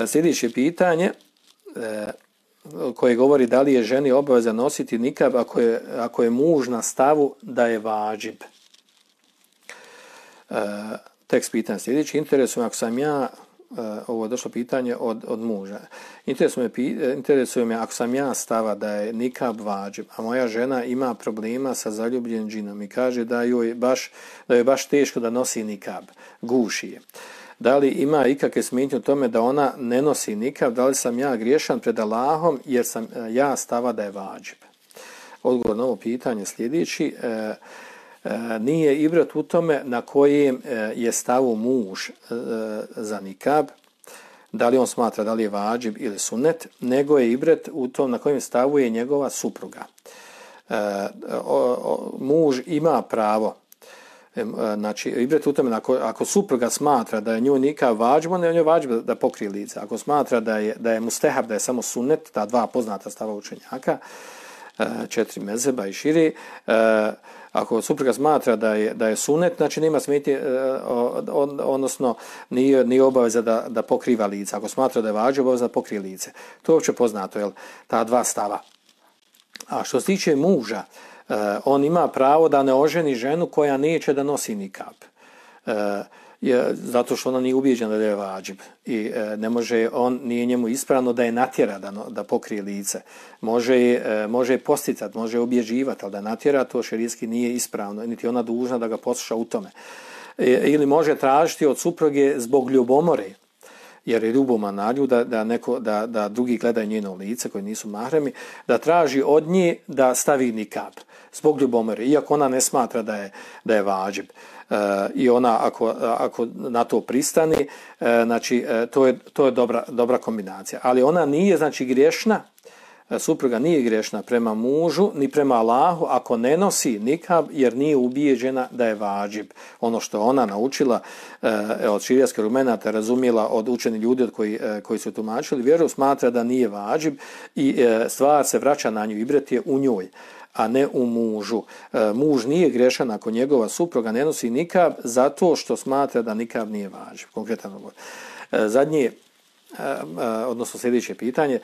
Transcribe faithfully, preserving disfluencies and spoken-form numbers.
Sljedeće pitanje koje govori da li je ženi obaveza nositi nikab ako je, ako je muž na stavu da je vađib. Tekst pitanja sljedeći. Interesuje me ako sam ja, ovo je došlo pitanje od, od muža, interesuje me, interesuje me ako sam ja stava da je nikab vađib, a moja žena ima problema sa zaljubljenim džinom i kaže da joj baš, da joj baš teško da nosi nikab, guši je. Da li ima ikakve smetnje u tome da ona ne nosi nikab, da li sam ja griješan pred Allahom jer sam ja stava da je vađib? Odgovor na ovo pitanje sljedeći. E, e, nije ibrat u tome na kojem je stavu muž e, za nikab, da li on smatra da li je vađib ili sunet, nego je ibrat u tom na kojem stavu je njegova supruga. E, o, o, muž ima pravo, znači ibrat u tome ako, ako supruga smatra da je njoj nikab vađib, onda je njoj vađib da, da pokrije lice. Ako smatra da je, da je mustehab, da je samo sunnet, ta dva poznata stava učenjaka, četiri mezheba i širi, ako supruga smatra da je, da je sunnet, znači nema smetnje, on, odnosno nije, nije obaveza da, da pokriva lice. Ako smatra da je vađib, obaveza da pokrije lice. To je uopće poznato, jel? Ta dva stava. A što se tiče muža, Uh, on ima pravo da ne oženi ženu koja neće da nosi nikab. Uh, je, zato što ona nije ubijeđena da je vađib. I uh, ne može, on nije njemu ispravno da je natjera da, no, da pokrije lice. Može je, uh, može je posticati, može je obježivati, ali da natjera to šerijski nije ispravno. Niti ona dužna da ga posluša u tome. E, ili može tražiti od supruge zbog ljubomore, jer je ljuboma na nju da, da, neko, da, da drugi gledaju njeno lice koji nisu mahremi, da traži od nje da stavi nikab zbog ljubomore, iako ona ne smatra da je, da je vađib. E, I ona ako, ako na to pristani, e, znači e, to je, to je dobra, dobra kombinacija. Ali ona nije znači griješna, supruga nije griješna prema mužu ni prema Allahu ako ne nosi nikab jer nije ubijeđena da je vađib. Ono što ona naučila e, od širijskih argumenata, razumjela od učenih ljudi od koji, e, koji su tumačili vjeru, smatra da nije vađib i e, stvar se vraća na nju, ibret je u njoj, a ne u mužu. E, muž nije griješan ako njegova supruga ne nosi nikab zato što smatra da nikab nije vađib. Konkretan odgovor. E, zadnje, e, e, odnosno sljedeće pitanje.